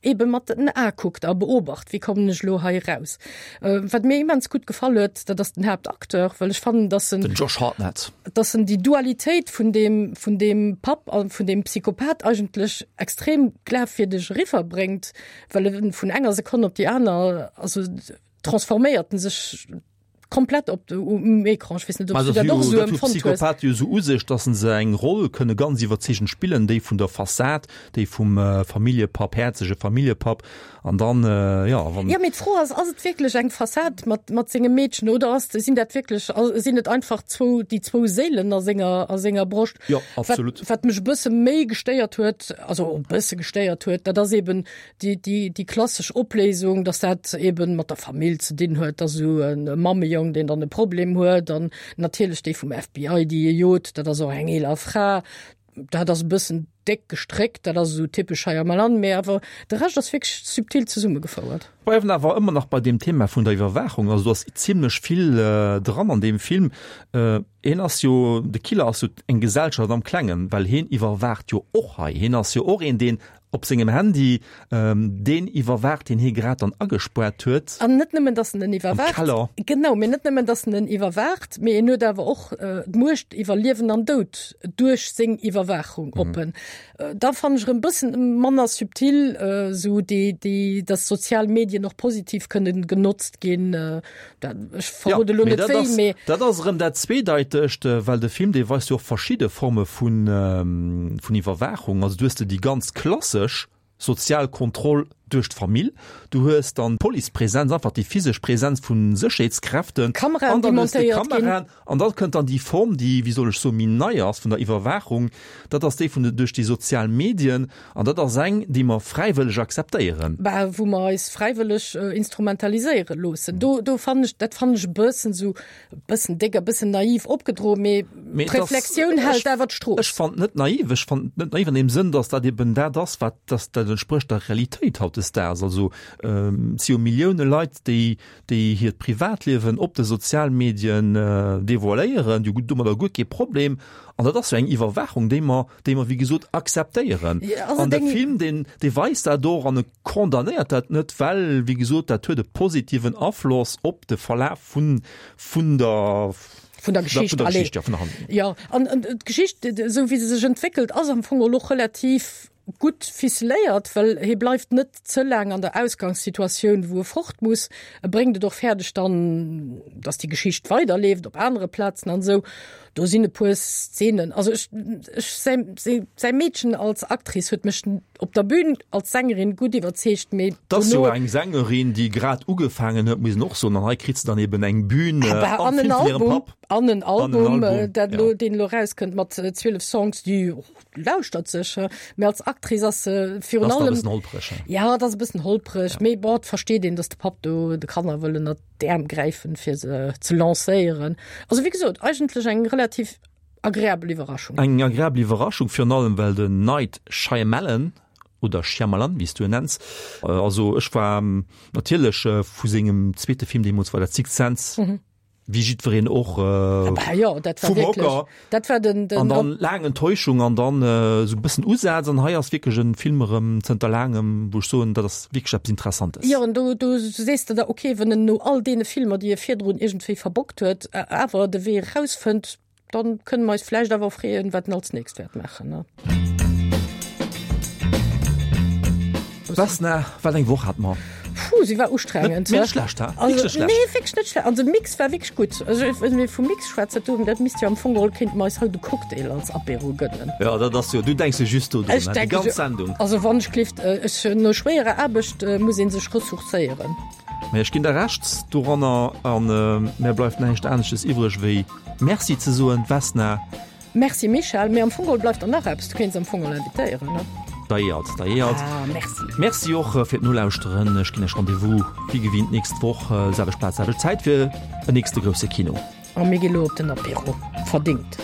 C: ebe mat den Ae kuckt a beobacht, wéi kommen ech elo hei eraus. Wat mir immens gutt gefall huet, dat ass den Haaptacteur, well ech fannen, dass en
B: Den Josh Hartnett.
C: dass en déi Dualitéit vun deem vun deem Papp a vun deem Psychopath eigentlech extrem glafwierdeg eriwwerbréngt, well e vun enger Sekonn op déi aner, also transforméiert en sech komplett op um Ecran. Ech weess net, ob s du dat och esou empfonnt hues.
B: Psychopath jo esou u sech, dass se eng Roll kënne ganz iwwerzeegend spillen, déi vun der Fassad, déi vum Familljepapp, häerzege Familljepapp, an dann, jo, wann.
C: Jo, mee d'Fro ass, ass et wierklech eng Fassad mat, mat sengem Meedchen oder ass, sinn dat wierklech, sinn et einfach zwou, déi zwou Séilen a senger, a senger Broscht?
B: Jo, absolut.
C: Wat, wat mech e bësse méi gestéiert huet, also e bësse gestéiert huet, dat ass eben déi, déi, déi klassesch Opléisung, dass dat eben mat der Famill ze dinn huet, dass esou e Mammejong, deen dann e Problem huet, an natierlech déi vum F B I, déi e jot, dat ass och eng eeler Fra. Dat ass e bëssen déck gestréckt, dat ass esou typesch Shyamalan, mee awer de Rescht ass wierklech subtil zesummegefouert.
B: Bleiwen awer ëmmer nach bei deem Thema vun der Iwwerwaachung. Also do ass zimlech vill dran an deem Film. Hien ass jo, de Killer ass jo eng Gesellschaft am Klengen, well hien iwwerwaacht jo och hei. Hien ass jo och een, deen op sengem Handy deen iwwerwaacht, deen hie grad dann agespuert huet.
C: An net nëmmen, dass en en iwwerwaacht.
B: Am Keller.
C: Genau, mee net nëmmen, dass en en iwwerwaacht, mee en huet awer och d'Muecht iwwer Liewen an Doud duerch seng Iwwerwaachung op en. Da fannen ech erëm bëssen manner subtil, esou déi, déi, dass sozial Medien och positiv kënnen genotzt ginn. Dat, ech verrode elo net wéi, mee.
B: Dat ass erëm dat Zweedeitegt, well de Film, dee weist jo och verschidde Forme vun, vun Iwwerwaachung. Also du hues de déi ganz klassesch sozial Kontroll duerch d'Famill, du hues dann d'Policepresenz, einfach déi physesch Presenz vu Sécherheetskräften,
C: Kameraen,
B: an
C: déi
B: dann hues de
C: montéiert ginn.
B: Kameraen, an da kënnt dann déi Form, déi, wéi soll ech soen, méi nei ass vun der Iwwerwaachung, dat ass déi vun de, duerch déi sozial Medien, an dat ass eng, déi mer fräiwëlleg akzeptéieren.
C: Bah, wou mer eis fräiwëlleg instrumentaliséiere loossen. Do, do fannen ech, dat fannen ech e bëssen esou, e bëssen déck, e bëssen naiv opgedroen, mee
B: Mee et ass,
C: d'Reflexioun
B: ech,
C: hält awer d'Strooss.
B: ech fannen et net naiv, ech fannen et net naiv an deem Sënn, datt dat eben dat ass, wat, datt dat entsprécht der Realitéit hautdesdaags. Also, et si jo Millioune Leit, déi, déi hiert Privatliewen op de Sozialmedien devoiléieren, déi hu domadder guer kee Problem. An dat ass jo eng Iwwerwaachung, déi mer, déi mer, wéi gesot, akzeptéieren. An de Film, deen, dee weist dat och an e condamnéiert dat net, well, wéi gesot, dat huet e positiven Afloss op de Verlaf vun, vun der,
C: vun der Geschicht,
B: vun der
C: allez.
B: Geschicht, ja, vun der Handlung.
C: Jo, an, an d'Geschicht, esou wéi se sech entwéckelt, ass am Fong och relativ gutt ficeléiert, well hie bleift net ze laang an der Ausgangssituatioun, wou e fort muss. E bréngt et och fäerdeg dann, dass déi Geschicht weiderleeft op anere Plazen an esou. Do sinn e puer Szenen, also ech, ech, säi, säi, säi Meedchen als Actrice huet mech op der Bühn als Sängerin gutt iwwerzeegt, mee
B: Dat ass jo
C: dono.
B: eng Sängerin, déi grad ugefaangen huet, muss een och soen, an hei kritt se dann eben eng Bühn
C: Ah,
B: am
C: an en
B: Film vun hirem
C: Album,
B: Papp.
C: an en
B: An en
C: Album,
B: Album,
C: dat elo,
B: ja.
C: deen elo erauskënnt mat zwielef Songs, déi lauschtert sech, mee als Actrice ass se virun
B: Ass da e
C: allem.
B: bëssen holpreg, he?
C: Ja, dat ass e bëssen holpreg, mee bon, et versteet een, dass de Papp do de Kanner wëll ënnert d'Äerm gräifen, fir se ze lancéieren. Also wéi gesot, eigentlech eng relativ agreabel Iwwerraschung.
B: Eng agreabel Iwwerraschung, virun allem well den Night Shyamalan, oder Shyamalan, wéi s du en nenns, also ech war natierlech vu sengem zweete Film deemools war dat Sixth Sense, wéi jiddwereen och
C: Bah jo, dat war
B: vum
C: wierklech,
B: Hocker.
C: dat war den, den
B: An dann laang Enttäuschung an dann esou e bëssen Usaz an hei ass wierklech en Film erëm zënter laangem, wou ech soen, dat ass wierklech eppes Interessantes.
C: Jo, an do, do sees de der, okay, wann en no all deene Filmer, déi e virdrun iergendwéi verbockt huet, awer de Wee erausfënnt, dann kënne mer eis vläicht awer freeën, wat en als nächst wäert maachen, ne?
B: Vesna, wat eng Woch hat mer.
C: Puh, si war ustrengend.
B: Net schlecht, ha?
C: Also,
B: Wierklech schlecht.
C: Nee, wierklech net schlecht. Also de Mix war wierklech gutt. Also wann mir vum Mix schwätzen, do, dat misst jo am Fong geholl, kéinte mer eis haut e Cocktail als Apéro gënnen.
B: Ja, dat ass jo, du denks jo just do drun,
C: Ech
B: hein, déi
C: denke
B: ganz
C: jo,
B: Sendung.
C: also wann ech gelift, ech, no schwéierer Aarbecht muss ee sech ressourcéieren.
B: Mä ech ginn der Recht doranner an mär bleift näischt anesches iwwreg wéi Merci ze soen, Vesna.
C: Merci Michèle, mee am Fong geholl bleift der nach eppes, du kéints am Fong geholl invitéieren, ne?
B: Deiert, deiert.
C: Ah, merci.
B: Merci och fir d'Nolauschteren. Ech ginn Iech Rendez-vous wéi gewinnt d'nächst Woch, selwecht Plaz, selwecht Zäit fir en nächste grousse Kino.
C: A mir gi lo op den Apéro. Verdingt.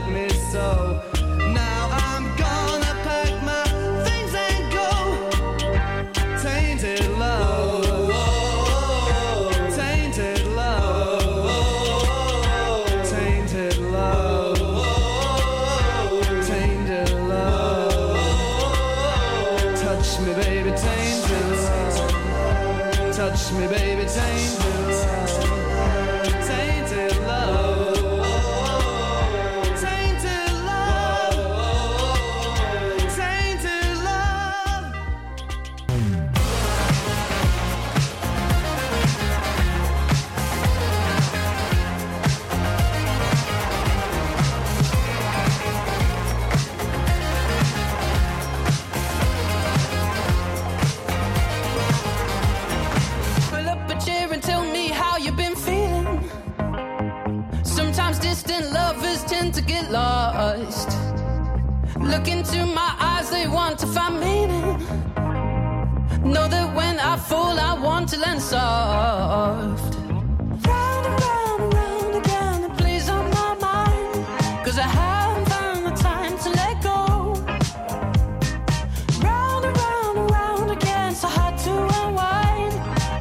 K: hurt me so. Now I'm gonna pack my things and go. Tainted love. Tainted love. Tainted love. Tainted love. Touch me, baby, tainted love. Touch me, baby, tainted love. Tainted love. Tainted love. Tainted love.
M: Pull up a chair and tell me how you've been feeling. Sometimes distant lovers tend to get lost. Look into my eyes, they want to find meaning. Know that when I fall, I want to land soft. Round and round and round again, it plays on my mind. Cause I haven't found the time to let go. Round and round and round again, so hard to unwind.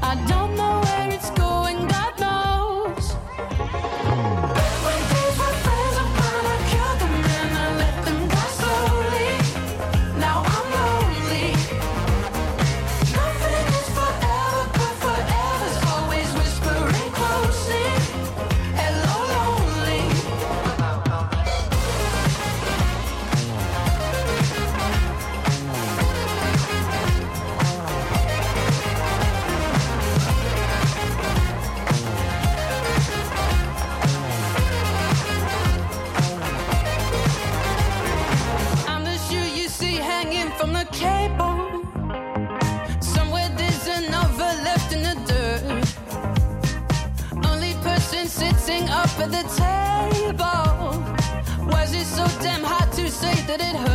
M: I don't know where it's going, God knows. When days were friends, I'm gonna kill them and I let them die slowly. Now I'm lonely. Nothing is forever, but forever's always whispering closely. Hello, lonely. I'm the shoe you see hanging from the cable. Somewhere there's another left in the dirt. Only person sitting up at the table. Why's it so damn hard to say that it hurts?